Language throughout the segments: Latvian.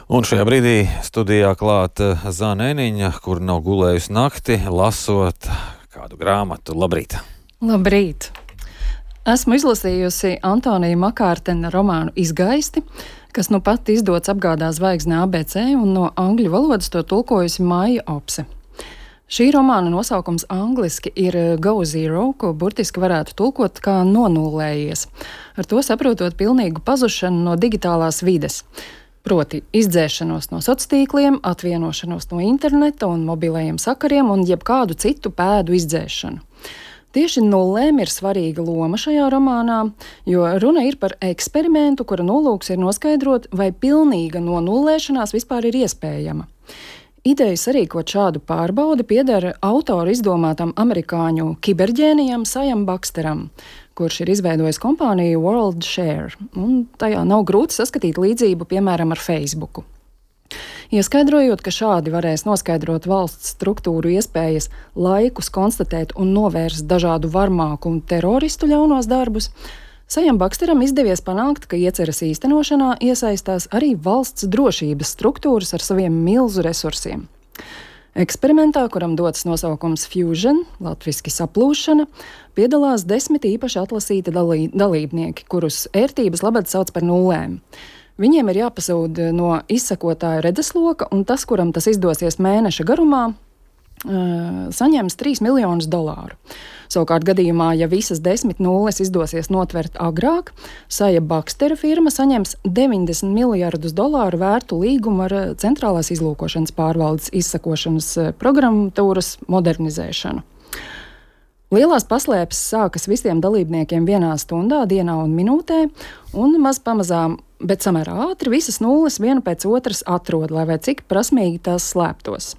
Un šajā brīdī studijā klāt Zāne Eniņa, kur nav gulējusi nakti, lasot kādu grāmatu. Labrīt! Labrīt! Esmu izlasījusi Antonija Makārtena romānu Izgaisti, kas nu pat izdots Apgādā zvaigzne ABC, un no angļu valodas to tulkojusi Maija Opse. Šī romāna nosaukums angliski ir Go Zero, ko burtiski varētu tulkot kā nonullējies, ar to saprotot pilnīgu pazušanu no digitālās vides. Proti izdzēšanos no sociāliem, atvienošanos no interneta un mobilajiem sakariem un jebkādu citu pēdu izdzēšanu. Tieši nullēm ir svarīga loma šajā romānā, jo runa ir par eksperimentu, kura nolūks ir noskaidrot, vai pilnīga nonullēšanās vispār ir iespējama. Ideja sarīkot šādu pārbaudi pieder autora izdomātam amerikāņu kiberģēnijam Sajam Baksteram, kurš ir izveidojis kompāniju WorldShare, un tajā nav grūti saskatīt līdzību, piemēram, ar Facebooku. Ieskaidrojot, ka šādi varēs noskaidrot valsts struktūru iespējas laikus konstatēt un novērst dažādu varmāku un teroristu ļaunos darbus, Sajam Baksteram izdevies panākt, ka ieceres īstenošanā iesaistās arī valsts drošības struktūras ar saviem milzu resursiem. Eksperimentā, kuram dots nosaukums Fusion, latviski saplūšana, piedalās 10 īpaši atlasīti dalībnieki, kurus ērtības labad sauc par nullēm. Viņiem ir jāpazūd no izsekotāja redzesloka, un tas, kuram tas izdosies mēneša garumā, saņems $3 miljonus. Savukārt gadījumā, ja visas 10 nulles izdosies notvert agrāk, Saja Bakstera firma saņems $90 miljardus vērtu līgumu ar centrālās izlūkošanas pārvaldes izsekošanas programmatūras modernizēšanu. Lielās paslēpes sākas visiem dalībniekiem vienā stundā, dienā un minūtē, un maz pamazām, bet samērā ātri visas nulles vienu pēc otras atrod, lai vai cik prasmīgi tās slēptos.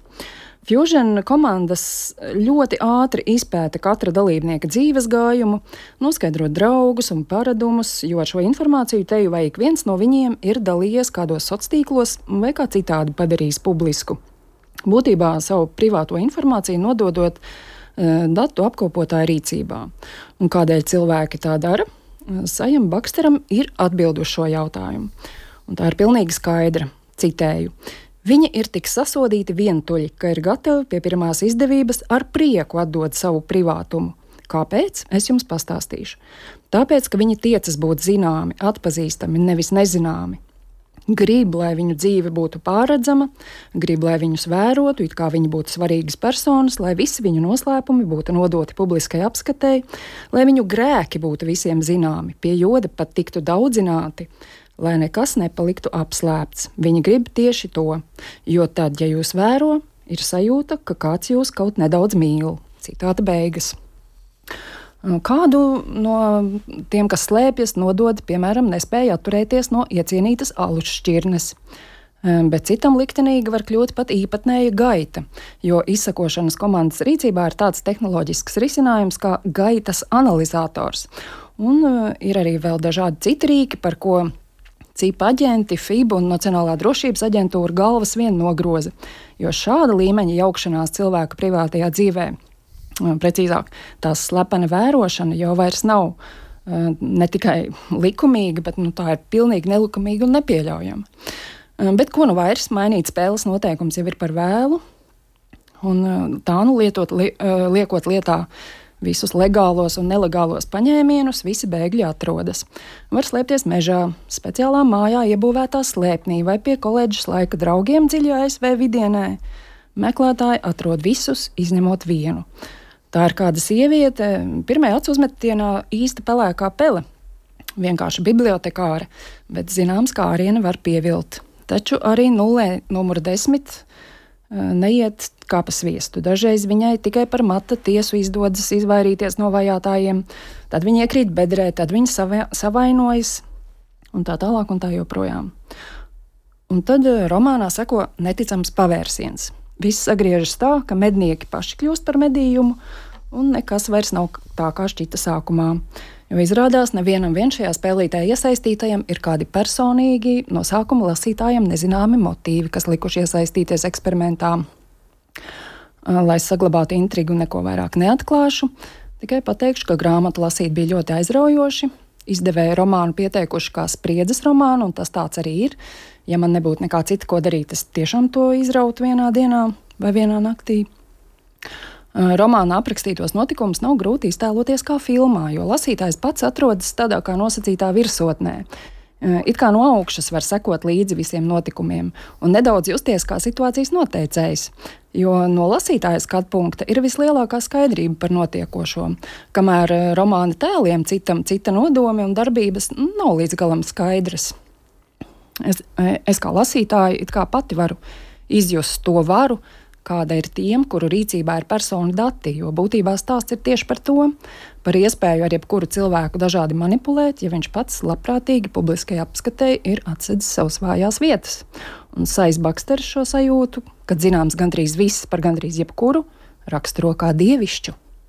Fusion komandas ļoti ātri izpēta katra dalībnieka dzīves gājumu, noskaidrot draugus un paradumus, jo ar šo informāciju teju vai ik viens no viņiem ir dalījies kādos sociālos vai kā citādi padarījis publisku. Būtībā savu privāto informāciju nododot datu apkopotāju rīcībā. Un kādēļ cilvēki tā dara? Sajam Baksteram ir atbild uz šo jautājumu. Un tā ir pilnīgi skaidra. Citēju. Viņi ir tik sasodīti vientuļi, ka ir gatavi pie pirmās izdevības ar prieku atdot savu privātumu. Kāpēc? Es jums pastāstīšu. Tāpēc, ka viņi tiecas būt zināmi, atpazīstami, nevis nezināmi. Grib, lai viņu dzīve būtu pārredzama, grib, lai viņus vērotu, it kā viņi būtu svarīgas personas, lai visi viņu noslēpumi būtu nodoti publiskai apskatei, lai viņu grēki būtu visiem zināmi, pie joda pat tiktu daudzināti, lai nekas nepaliktu apslēpts. Viņi grib tieši to, jo tad, ja jūs vēro, ir sajūta, ka kāds jūs kaut nedaudz mīl. Citāta beigas. Kādu no tiem, kas slēpjas, nodod, piemēram, nespēja atturēties no iecienītas alus šķirnes. Bet citam liktenīgi var kļūt pat īpatnēja gaita, jo izsekošanas komandas rīcībā ir tāds tehnoloģisks risinājums kā gaitas analizators. Un ir arī vēl dažādi citi rīki, par ko CIP aģenti, FIB un Nacionālā drošības aģentūra galvas vien nogroza, jo šāda līmeņa jaukšanās cilvēka privātajā dzīvē, precīzāk, tās slepena vērošana jau vairs nav ne tikai likumīga, bet tā ir pilnīgi nelikumīga un nepieļaujama. Bet ko nu vairs, mainīt spēles noteikums jau ir par vēlu, un tā liekot lietā visus legālos un nelegālos paņēmienus, visi bēgļi atrodas. Var slēpties mežā, speciālā mājā iebūvētā slēpnī vai pie koledžas laika draugiem dziļi ASV vidienē. Meklētāji atrod visus, izņemot vienu. Tā ir kāda sieviete, pirmajā acu uzmetienā īsta pelēkā pele. Vienkārši bibliotekāre, bet zināms kāriena var pievilt. Taču arī nullē numur 10 neiet kā pa sviestu. Dažreiz viņai tikai par mata tiesu izdodas izvairīties no vajātājiem, tad viņa iekrīt bedrē, tad viņa savainojas, un tā tālāk un tā joprojām. Un tad romānā seko neticams pavērsiens. Viss sagriežas tā, ka mednieki paši kļūst par medījumu, un nekas vairs nav tā, kā šķita sākumā. Jo izrādās, nevienam šajā spēlītē iesaistītajam ir kādi personīgi, no sākuma lasītājiem nezināmi motīvi, kas likuši iesaistīties eksperimentā. Lai saglabātu intrigu, neko vairāk neatklāšu, tikai pateikšu, ka grāmatu lasīt bija ļoti aizraujoši. izdevēja romānu pieteikuši kā spriedzes romānu, un tas tāds arī ir. Ja man nebūtu nekā cita, ko darīt, es tiešām to izrautu vienā dienā vai vienā naktī. Romāna aprakstītos notikumus nav grūti iztēloties kā filmā, jo lasītājs pats atrodas tādā kā nosacītā virsotnē. It kā no augšas var sekot līdzi visiem notikumiem un nedaudz justies kā situācijas noteicējs, jo no lasītāja skatu punkta ir vislielākā skaidrība par notiekošo, kamēr romāna tēliem cita nodomi un darbības nav līdz galam skaidras. Es kā lasītāja it kā pati varu izjust to varu, kāda ir tiem, kuru rīcībā ir personu dati, jo būtībā stāsts ir tieši par to, par iespēju ar jebkuru cilvēku dažādi manipulēt, ja viņš pats labprātīgi publiskajā apskatē ir atsedzis savas vājās vietas. Un Sais Baksteris šo sajūtu, kad zināms gandrīz viss par gandrīz jebkuru, raksturo kā dievišķu.